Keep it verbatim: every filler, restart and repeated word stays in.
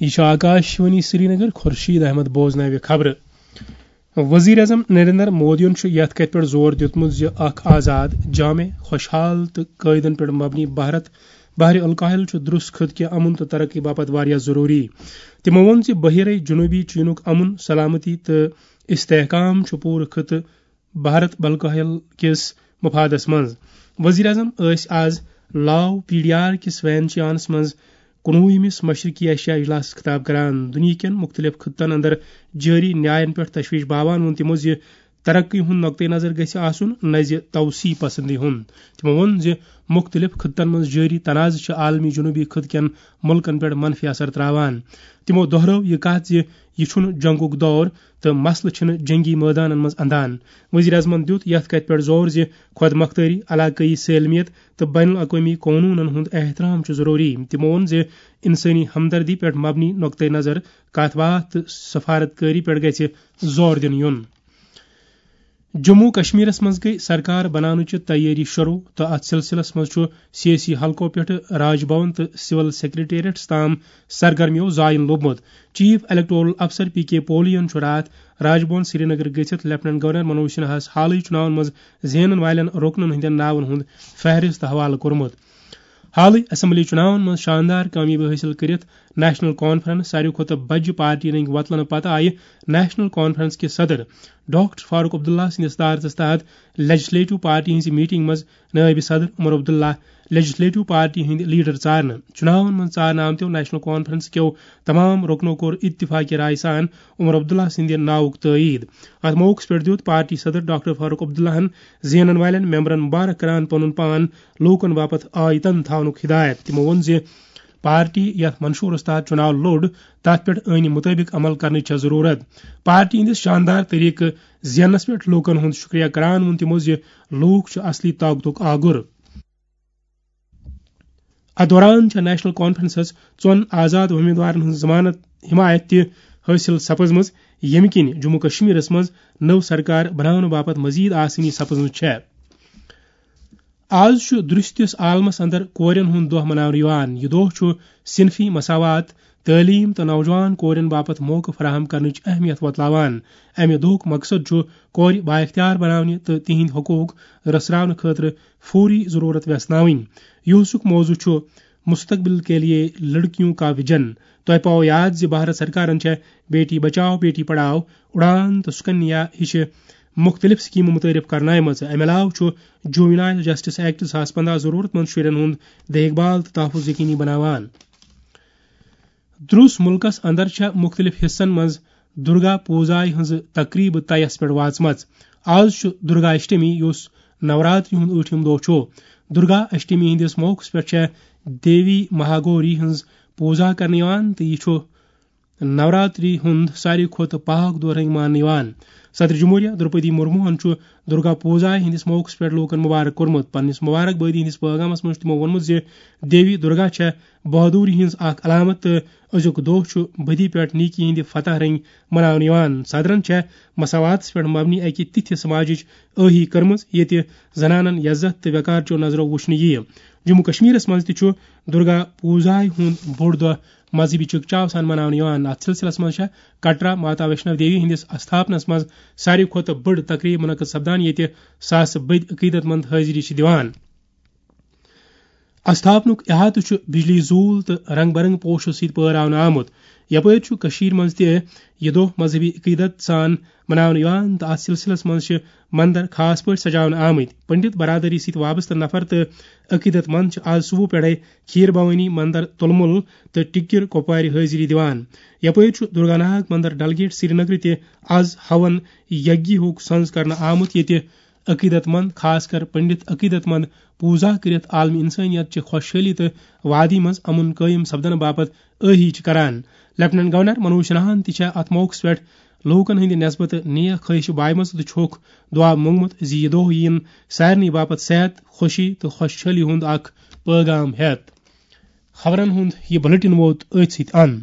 یہِ چھُ آکاش وانی سرینگر، خورشید احمد بوزناوِ خبرٕ۔ وزیر اعظم نریندر مودیَن چھُ یَتھ کَتھِ پٮ۪ٹھ زور دیُتمُت زِ اکھ آزاد، جامع، خوشحال تہٕ قٲعدن پٮ۪ٹھ مبنی بھارت، بحر الکاہل چھُ درست خطہٕ کہِ امن تہٕ ترقی باپتھ واریاہ ضروٗری۔ تِمَو ووٚن زِ بحیرہ جنوبی چینُک امن، سلامتی تہٕ استحکام چھُ پوٗرٕ خطہٕ بھارت بلکاہل کِس مفادس منٛز۔ وزیر اعظم ٲسۍ آز لاو پی ڈی آر کِس وینچیانس منٛز کُنوُہمِس مشرقی ایشیا اجلاسس خطاب کران۔ دُنیہٕ کٮ۪ن مُختٔلِف خطن اندر جٲری نیاین پٮ۪ٹھ تشویش باوان ووٚن تِمو زِ ترقی ہُنٛد نقطہٕ نظر گژھِ آسُن، نہ زِ توسیع پسندی ہُنٛد۔ تِمو ووٚن زِ مُختٔلِف خطن منٛز جٲری تنازٕ چھِ عالمی جنوبی خطہٕ کٮ۪ن مُلکن پٮ۪ٹھ منفی اثر تراوان۔ تِمو دۄہرٲو یہِ کتھ زِ یہِ چھُنہٕ جنگُک دور، تہٕ مسلہٕ چھِنہٕ جنگی مٲدانن منٛز اندان۔ وزیر اعظمن دیُت یَتھ کَتھِ پٮ۪ٹھ زور زِ خۄد مۄختٲری، علاقٲیی سٲلمیت تہٕ بین الاقوٲمی قونوٗنن ہُنٛد احترام چھُ ضروٗری۔ تِمو ووٚن زِ انسٲنی ہمدردی پٮ۪ٹھ مبنی نقطہٕ نظر، کتھ باتھ تہٕ سفارت کٲری پٮ۪ٹھ گژھِ زور دِنہٕ یُن۔ جموں کشمیرس منٛز گٔے سرکار بناونٕچہِ تیٲری شروع تہٕ اتھ سلسلس منٛز چھُ سیٲسی حلقو پٮ۪ٹھٕ راج بھون تہٕ سول سیکرٹریٹس تام سرگرمیو زاین لوٚبمُت۔ چیف الیکٹورل افسر پی کے پولیَن چھُ راتھ راج بھون سرینگر گٔژھِتھ لیفٹیننٹ گورنر منوج سنہاہَس حالٕے چُناون منٛز زینن والٮ۪ن رُکنن ہٕنٛدٮ۪ن ناون ہُنٛد فہرست حوالہٕ کوٚرمُت۔ حالٕے اسمبلی چُناون منٛز شاندار کامیٲبی حٲصِل کٔرِتھ نیشنل کانفرنس ساروی کھۄتہٕ بجہِ پارٹی رٔنگۍ وۄتلنہٕ پتہٕ آیہِ نیشنل کانفرنس کہِ صدر ڈاکٹر فاروق عبداللہ سٕنٛدِس صدارتس تحت لیجسلیٹو پارٹی ہٕنٛزِ میٹنگ منٛز نٲیِب صدر عمر عبداللہ لیجسلیٹو پارٹی ہٕنٛدۍ لیڈر ژارنہٕ۔ چُناون منٛز ژارنہٕ آمتیو نیشنل کانفرنس کیو تمام رُکنو کوٚر اتفاقی راے سان عمر عبداللہ سٕنٛدِ ناوُک تٲیید۔ اتھ موقعس پٮ۪ٹھ دیُت پارٹی صدر ڈاکٹر فاروق عبداللہن زینن والٮ۪ن ممبرن مبارک کران پنُن پان لوٗکن باپتھ آیتن تھاونُک ہدایت۔ تِمو ووٚن زِ پارٹی یتھ منشورس تحت چُناو لوٚڑ، تتھ پٮ۪ٹھ ٲنی مطٲبق عمل کرنٕچ چھےٚ ضروٗرت۔ پارٹی ہٕنٛدِس شاندار طریقہٕ زیننس پٮ۪ٹھ لوٗکن ہُنٛد شُکریہ کران ووٚن تِمو زِ لوٗکھ چھِ اصلی طاقتُک آگُر۔ اتھ دوران چھےٚ نیشنل کانفرنسس ژۄن آزاد امیدوارن ہٕنٛز ضمانت حمایت تہِ حٲصِل سپٕزمٕژ، ییٚمہِ کِنۍ جموں کشمیرس منٛز نٔو سرکار بناونہٕ باپتھ مزید آسٲنی سپٕزمٕژ چھےٚ۔ آز چھُ درستِس عالمس اندر کورٮ۪ن ہُنٛد دۄہ مناونہٕ یِوان۔ یہِ دۄہ چھُ صنفی مساوات، تعلیٖم تہٕ نوجوان کورٮ۪ن باپتھ موقعہٕ فراہم کرنٕچ اہمیت وۄتلاوان۔ امہِ دۄہُک مقصد چھُ کورِ بااختیار بناونہِ تہٕ تِہنٛدۍ حقوق رژھراونہٕ خٲطرٕ فوری ضرورت ویژھناوٕنۍ۔ یُہُسُک موضوع چھُ مستقبل کے لیے لڑکیوں کا ویژن۔ تۄہہِ پاوو یاد زِ بھارت سرکارن چھےٚ بیٹی بچاو، بیٹی پڑھاو، اڑان تہٕ سکنیا ہِشہِ مُختٔلِف سکیٖمہٕ مُتعارف کرنایمژٕ۔ امہِ علاوٕ چھُ جووینائل جسٹس ایکٹ زٕ ساس پنٛداہ ضروٗرت مند شُرٮ۪ن ہُنٛد دیکھ بھال تہٕ تحفظ یقینی بناوان۔ درُس مُلکس اندر چھےٚ مُختٔلِف حصن منٛز درگا پوٗزایہِ ہٕنٛزٕ تقریٖبہٕ طیس پٮ۪ٹھ واژمژ۔ آز چھُ درگا اشٹمی، یُس نوراتری ہُنٛد ٲٹھِم دۄہ چھُ۔ درگا اشٹمی ہٕنٛدِس موقعس پٮ۪ٹھ چھےٚ دیوی مہاگوری ہٕنٛز پوٗزا کرنہٕ یِوان تہٕ یہِ چھُ نوراتری ہُنٛد ساروی کھۄتہٕ پاک دۄہ رنگۍ ماننہٕ یِوان۔ صدر جمہوریہ درپدی مرموہن چھُ درگا پوٗزا ہٕنٛدِس موقعس پٮ۪ٹھ لوٗکن مبارک کوٚرمُت۔ پننِس مبارک بٲدی ہٕنٛدِس پٲغامس منٛز چھُ تِمو ووٚنمُت زِ دیوی درگا چھےٚ بہادوری ہٕنٛز اکھ علامت تہٕ أزیُک دۄہ چھُ بدی پٮ۪ٹھ نیکی ہٕنٛدِ فتح رنگۍ مناونہٕ یِوان۔ صدرن چھےٚ مساواتس پٮ۪ٹھ مبنی اکہِ تِتھِ سماجٕچ ٲہی کٔرمٕژ، ییٚتہِ زنانن عزت تہٕ وقار چیو نظرو وُچھنہٕ یِیہِ۔ جموں کشمیرس منٛز تہِ چھُ درگا پوٗزایہِ ہُنٛد بوٚڑ دۄہ مذہبی چکچاو سان مناونہٕ یِوان۔ اتھ سلسلس منٛز چھےٚ کٹرا ماتا ویشنو دیوی ہٕنٛدِس استھاپنس منٛز ساروی کھۄتہٕ بٔڑ تقریب منعقد سپدان، ییٚتہِ ساسہٕ بٔدۍ عقیدت مند حٲضری چھِ دِوان۔ استھاپنُک احاطہٕ چھُ بجلی زوٗل تہٕ رنگ برنگ پوشو سۭتۍ پٲراونہٕ آمُت۔ یپٲرۍ چھُ کٔشیٖرِ منٛز تہِ یہِ دۄہ مذہبی عقیدت سان مناونہٕ یِوان تہٕ اتھ سلسلس منٛز چھِ مندر خاص پٲٹھۍ سجاونہٕ آمٕتۍ۔ پنڈت برادری سۭتۍ وابستہٕ نفر تہٕ عقیدت مند چھِ آز صبح پٮ۪ٹھے کھیٖر بھوانی مندر تُلمُل تہٕ ٹِکِر کۄپوارِ حٲضری دِوان۔ یپٲرۍ چھُ درگا ناتھ مندر ڈل گیٹ سرینگرٕ تہِ آز ہون یگیہُک سنز کرنہٕ آمُت، ییٚتہِ عقیدت مند، خاص کر پنڈت عقیدت مند، پوٗزا کٔرِتھ عالمی انسٲنیت چہِ خۄشحٲلی تہٕ وادی منٛز امُن قٲیِم سپدنہٕ باپتھ ٲہی چھِ کران۔ لیفٹیننٹ گورنر منوج سنہاہن تہِ چھےٚ اتھ موقعس پٮ۪ٹھ لوٗکن ہٕنٛدِ نسبتہٕ نیک خٲہشہِ بایمژٕ تہٕ چھُکھ دُعا مونگمُت زِ یہِ دۄہ یِیِن سارنٕے باپتھ صحت، خوشی تہٕ خۄشحٲلی ہُنٛد اکھ پٲغام ہٮ۪تھ۔ خبرن ہُنٛد یہِ بلیٹن ووت أتھۍ سۭتۍ اند۔